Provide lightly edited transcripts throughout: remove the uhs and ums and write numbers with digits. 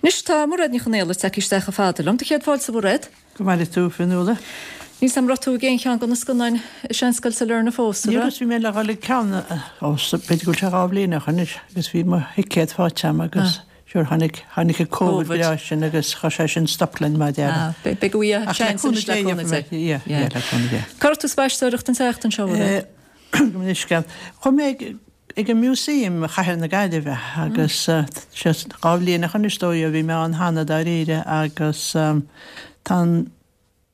Anois tá Mairéad Ní Chonaola tagtha isteach chomh fada liom. Do chéad fáilte, a Mhairéad. Go maire tú, Fionnuala. Níl 's a'm raibh tú ag aon cheann de na scannáin i Seanscoil Sailearna fós, an raibh? Ní raibh, bhí mé le dhul ag ceann, ó, b'fhéidir go bhfuil sé 2 bhliain ó shoin anois, agus bhí mo thicéad faighte a'm agus sure tháinig, tháinig an Covid breá sin agus chuir sé sin stop linn mar a déarfá. Ah, beidh, beidh uaidh seans anois le cúnamh Dé. Yeah, yeah, le cúnamh Dé. Cá raibh tú ag spaisteoireacht an tseachtain seo, a Mhairéad? Gabh mo leithscéal. Chuaigh mé ag, ag an Museum i Chathair na Gaillimhe agus sé 2 bhliain ó shoin is dóigh ó bhí mé ann cheana dáiríre agus tá an,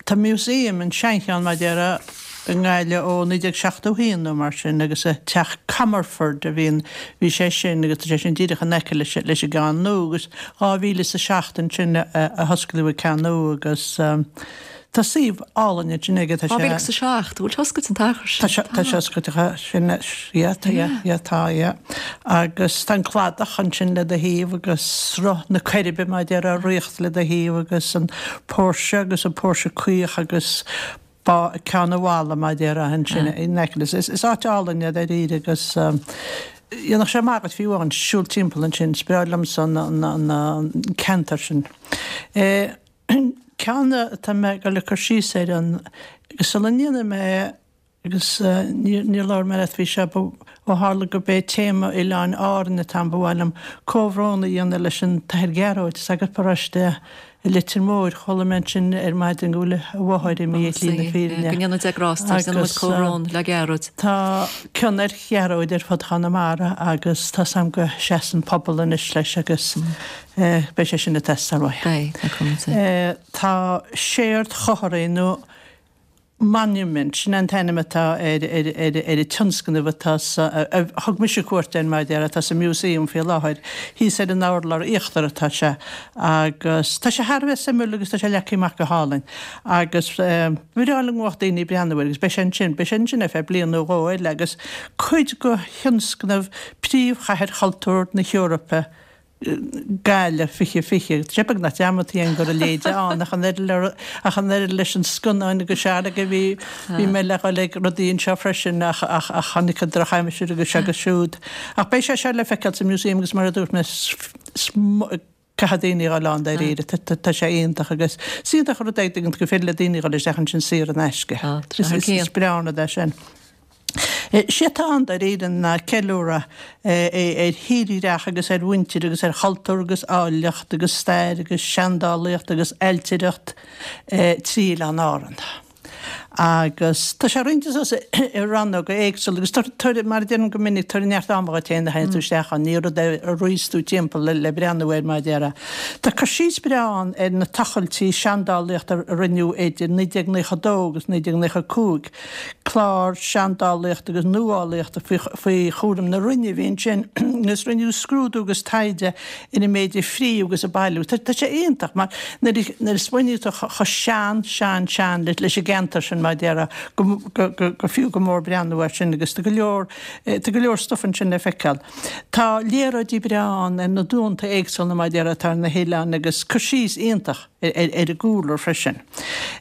tá Museum, an seancheann mar a déarfá, i nGaillimh ó 1971 nó mar sin agus i Teach Comerford a bhí an, bhí sé sin agus tá sé sin díreach in aice leis, leis an gceann nua agus 2007 ansin a, a hosclaíodh an ceann nua agus. Tá suíomh álainn ansin aige, tá sé. 2007, bhfuil sé oscailte an t-achar sin? Tá sé, tá sé oscailte sin, yeah, tá, yeah, yeah, tá, yeah. Agus tá an cladach ansin le do thaobh agus Sruth na Coiribe mar a déarfá ag ritheacht le do thaobh agus an póirse agus an póirse caoch agus bá Ceann an Bhalla mar a déarfá ansin in aice leis. Is áit álainn é dáiríre agus dhéanfadh sé maith dhuit fiú amháin siúl timpeall ansin, is breá liomsa an ceantar sin. Ceann atá mé ag dul ag cur síos air an, agus sula ndéanfaidh mé, agus níor labhair mé leat faoi seo, ba, ó tharla gurb é téama Oileáin Árann atá ann, ba mhaith liom comhbhrón a dhéanamh leis an tAthair Gearóid, sagart paróiste i Leitir Móir. Chuala mé ansin ar maidin go bhfuil a mháthair imithe ar shlí na fírinne. Go ndéana Dia grásta air, déanann muid comhbhrón le Gearóid. Tá cion ar Ghearóid ar fud Chonamara agus tá 's a'm go seasann pobal anois leis agus Beidh sé sin ag teastáil uaidh. Beidh, le cúnamh Dé. Tá Séard Chothraí nó Monument, sin an t-ainm atá ar ar an tionscnamh atá sa, a thug mise cuairt air mar a déarfá, atá sa Museum faoi láthair. Thíos ar an urlár íochtar atá sé agus tá sé thar a bheith suimiúil agus tá sé leagtha amach go hálainn agus ba bhreá liom go mbeadh daoine ag breathnú air agus beidh sé ansin, beidh sé ansin ar feadh bliain nó dhó eile agus cuid de thionscnamh Príomhchathair Chultúir na hEorpa Gaillimh 2020. Tá sé beagnach dearmadta againn go raibh a leithéid ann ach an oiread ach an oiread leis an scannáin agus sea go bhí bhí mé le dhul ag rudaí anseo freisin ach ach ach tháinig an drochaimsir agus seo agus siúd. Ach beidh sé seo le feiceáil sa Museum agus mar a dúirt mé caithfidh daoine a dhul ann dáiríre. Tá sé iontach agus is iontach an rud é go féidir le daoine a dhul isteach ansin saor in aisce. Is breá an rud é sin. Is é atá ann dáiríre ná ceiliúradh ar thírdhreach agus ar mhuintir agus ar chultúr agus áilleacht agus stair agus seandálaíocht agus ailtireacht trí Oileáin Árann. Agus tá sé roinnte suas i rannóga éagsúla agus tabhair, mar a deirim go minic, tabhair neart ama dhuit féin nuair a théann tú isteach ann, ní rud é a rithfeas tú timpeall le breathnú air mar a déarfá. Tá cur síos breá ann ar na tochailtí seandálaíochta a rinneadh idir 1992 agus 1995, Clár seandálaíochta agus nuálaíochta faoi chúram na Roinne a bhí ansin agus rinneadh scrúdú agus taighde ar an méid a fríodh agus a bailíodh. Tá sé iontach mar nuair a smaoiníonn tú chomh sean, sean, sean leis an gceantar sin mar a déarfá go fiú go mór breathnú air sin agus tá go leor, tá go leor stuif ansin le feiceáil. Tá léaráidí breá ann ar na dúnta éagsúla mar a déarfá atá ar na hoileáin agus cur síos iontach ar an gcúlra freisin.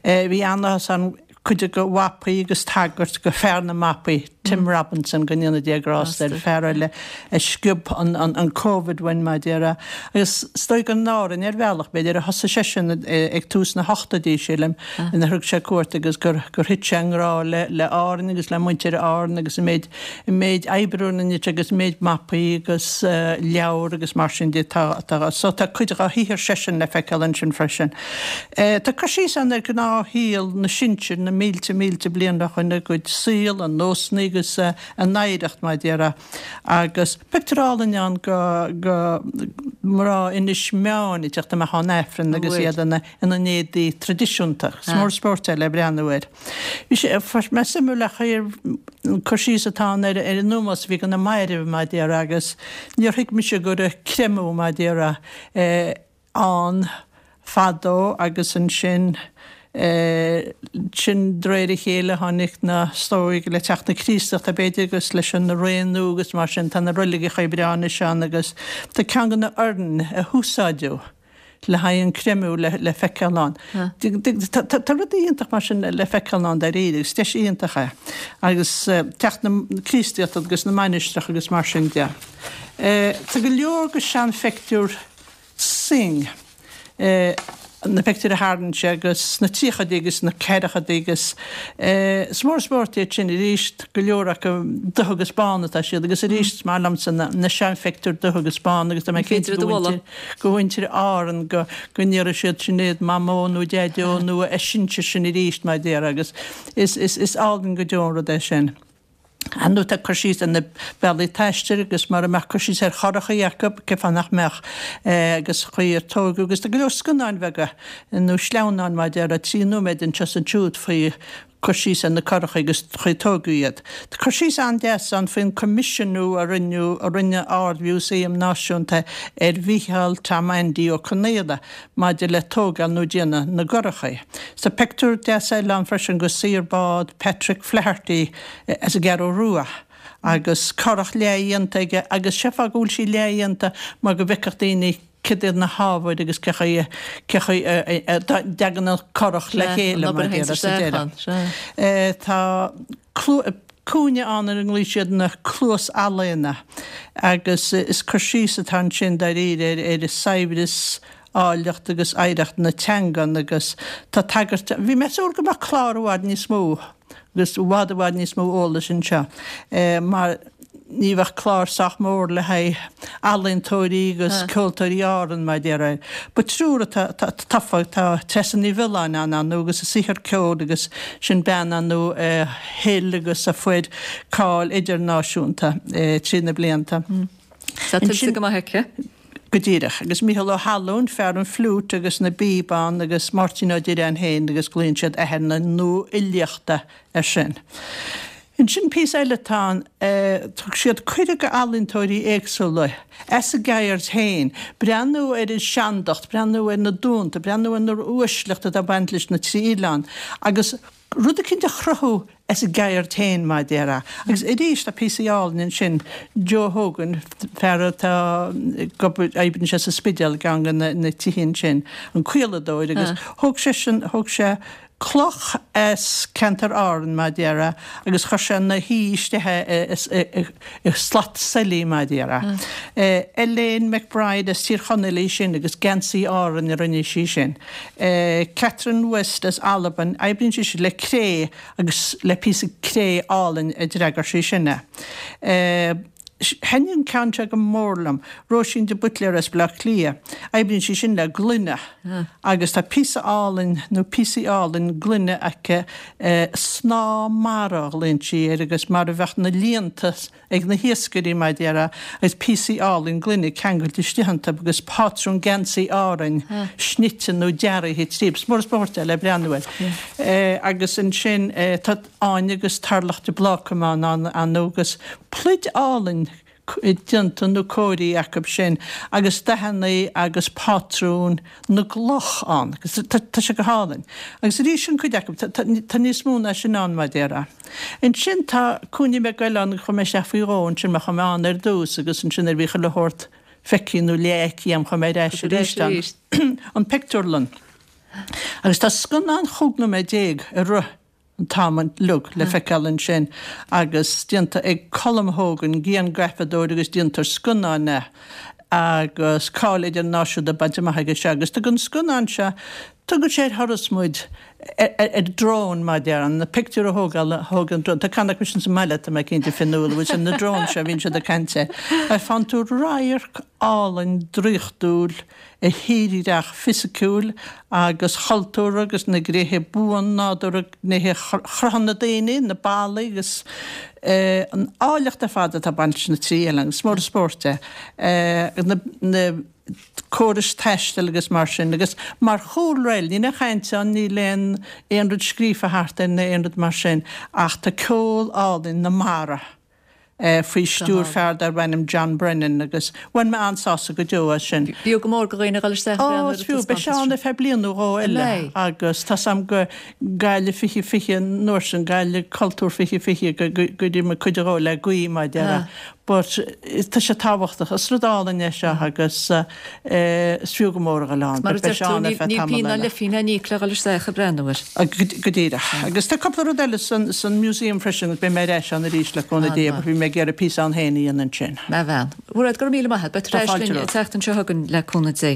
Bhí an-áthas orm cuid de mhapaí agus tagairt go fear na mapaí, Tim Robinson, go ndéana Dia grásta air, fear eile a sciob an Covid uainn, mar a déarfá. Agus is dóigh gur in Árainn, ar bhealach, b'fhéidir, a thosaigh seisean ag tús na hochtóidí, sílim, inar thug sé cuairt agus gur thit sé i ngrá le Árainn agus le muintir Árann agus an méid an méid oibre a rinne sé agus an méid mapaí agus leabhar agus mar sin de atá so tá cuid dá shaothar seisean le feiceáil ansin freisin. Tá cur síos ann ar ghnáthshaol na sinsear na mílte mílte bliain ó shoin, a gcuid saol, a nósanna agus a n-oidhreacht mar a déarfá. Agus pictiúr álainn ann go go mná Inis Meáin ag teacht amach ón Aifreann agus iad ina ina n-éadaí traidisiúnta. Is mór spóirt é le breathnú air. Bhí sé, fuair mé suimiúil a chuir an cur síos atá ann ar an ómós a bhí do na mairbh, mar a déarfá, agus níor thuig mise go raibh creimeadh, mar a déarfá, ann fadó agus ansin, sin de réir a chéile tháinig na, is dóigh, le teacht na Críostachta b'fhéidir agus leis an ré nua agus mar sin, tá na reiligeacha breá anois ann agus tá ceann de na hoirn a húsáideadh le haghaidh an creimeadh le feiceáil ann. Tá rudaí iontach mar sin le feiceáil ann dáiríre agus deis iontach é. Agus teacht na Críostaíochta agus na mainistreach agus mar sin de. Tá go leor de seanphictiúir. Synge, na pictiúir a tharraing sé agus sna tríochaidí agus sna ceathrachaidí agus is mór an spórt iad sin arís, go leor acu dubh agus bán atá siad agus arís is maith liomsa na seanphictiúir dubh agus bán agus tá mé cinnte go mhuintir, go mhuintir Árann go go n-iarrfaidh siad Sinéad Mamó nó Deaideo nó a sinsir sin arís mar a déarfá agus is is is álainn go deo an rud é sin. Ar ndóigh tá cur síos ar na bealaí taistil agus mura mbeadh cur síos ar churachaí acu, cén fáth nach mbeadh, agus chaoi ar tógadh agus tá go leor scannáin bheaga nó sleamhnáin mar a déarfá, 3 nóiméad anseo is ansiúd faoi cur síos ar na curachaí agus chaoi ar tógadh iad. Tá cur síos an-deas ann faoin coimisiúnú a rinneadh, a rinne Ard-Mhúsaem Náisiúnta ar Mhícheál Tom Aindí Ó Conaola maidir le tógáil nó déanamh na gcurachaí. Tá pictiúr deas eile ann freisin de saor bád Patrick Flaherty as an gCeathrú Rua agus curach leathdhéanta aige agus sé fáth go bhfuil sí leathdhéanta mar go bhfeicfeadh daoine céard iad na hábhair agus cé chaoi cé chaoi a dtagann an curach le chéile mar a déarfá sa deireadh. Tá cúinne ann ar a nglaoigh siad na Cluas-Ealaíona agus is cur síos atá ansin dáiríre ar saibhreas, áilleacht agus oidhreacht na teangan agus tá tagairt, bhí mé ag súil go mbeadh clár i bhfad níos mó agus i bhfad i bhfad níos mó eolais anseo mar ní bheadh clár sách mór le haghaidh ealaíontóirí agus ceoltóirí Árann mar a déarfá. But triúr atá tofa, tá Treasa Ní Mhiolláin ann ar ndóigh agus a saothar ceoil agus sin bean ar ndóigh a thuill agus a fuair cáil idirnáisiúnta trí na blianta. Tá tuillte go maith aici. Go díreach. Agus Mícheál Ó hAllúin, fear an fliúit agus na bpíobán agus Máirtín Ó Direáin féin agus glaonn siad athair na nuafhilíochta air sin. Ansin píosa eile atá ann, thug siad cuireadh go ealaíontóirí éagsúla as a gceird féin breathnú ar an seandacht, breathnú ar na dúnta, breathnú ar na uaisleacht atá ag baint leis na trí oileán agus rud eicínt a chruthú as a gceird féin, mar a déarfá. Agus arís tá píosaí álainn ansin, Joe Hogan, fear atá ag obair, oibríonn sé sa Spidéal, i gceann de na tithe ansin, an caoladóir agus thóg seisean, thóg sé cloch as ceantar Árann, mar a déarfá, agus chuir sé na hí isteach i slat sailí, mar a déarfá. Elaine McBride as Tír Chonaill í sin agus geansaí Árann a rinne sí sin. Catherine West as Albain, oibríonn sise le cré agus le píosa cré álainn a d'fhreagair sí sin é. Thaitnigh an ceann seo go mór liom. Róisín de Buitléar as Baile Átha Cliath. Oibríonn sí sin le gloine agus tá píosa álainn nó píosaí álainn gloine aici, snáth mara a ghlaonn sí air agus mar a bheadh na líonta ag na hiascairí mar a déarfá agus píosaí álainn gloine ceangailte istigh iontu agus pátrún geansaí Árainn snite nó dearaithe tríob. Is mór an spórt é le breathnú air. Agus ansin tá. Áine agus Tarlach de Blácam ann ar ndóigh agus pluid álainn déanta nó cóirithe acu sin agus dathanna agus pátrúin na gcloch ann agus tá sé go hálainn. Agus arís an cuid acu, tá níos mó ná sin ann mar a déarfá. Ansin tá cúinne beag eile ann chuaigh mé isteach faoi dhó ansin mar chuaigh mé ann ar dtús agus ansin nuair a bhí chuile shórt feicthe nó leathfheicthe agam chuaigh mé ar ais arís ann. An pictiúrlann. Agus tá scannán chúig nóiméad déag ag rith an t-am uilig le feiceáil ansin agus déanta ag Colm Hogan, grianghrafadóir agus déantóir scannáin é agus cáil idirnáisiúnta bainte amach aige seo agus tugann an scannán seo, tugann sé ar thuras muid ar drone mar a déarfá, na pictiúir a thógáil, a thóg an drone, tá ceann acu sin sa mbaile tá mé cinnte Fionnuala, bhfuil sin na drones seo a bhíonn siad ag caint air, faigheann tú radharc álainn draíochtúil ar thírdhreach fisiciúil agus chultúrtha agus na gnéithe buan-nádúrtha, gnéithe chruthaithe na daoine, na ballaí agus an áilleacht ar fad atá ag baint leis na trí oileán. Is mór an spórt é. Na córais taistil agus mar sin. Agus mar chúlra, níl aon chaint ann, níl aon aon rud scríofa thart air ná aon rud mar sin ach tá ceol álainn na mara. faoi stiúir fear darb ainm John Brennan agus bhain mé an-sásamh go deo as sin. B'fhiú go mór do dhaoine a dhul isteach ag breathnú ar an taispeántas seo. Ó, is fiú. Beidh sé ann ar feadh bliain nó dhó eile agus tá's a'm go Gaillimh 2020 an uair sin, Gaillimh Cultúr 2020 go dtí mé cuid dhó le gaoth mar a déarfá. But tá sé tábhachtach. Is rud álainn é seo agus is fiú go mór a dhul ann. Mar a deir tú, níl pingin ná leithphingin le n-íoc le dhul isteach ag breathnú air. Go díreach. Agus tá cúpla rud eile san museum freisin agus beidh mé ar ais ann arís le cúnamh Dé but bhí mé ag iarraidh píosa ann féin a dhéanamh ansin. Maith bhean. Mairéad, go raibh míle maith agat. Beidh tú ar ais linn an tseachtain seo chugainn le cúnamh Dé.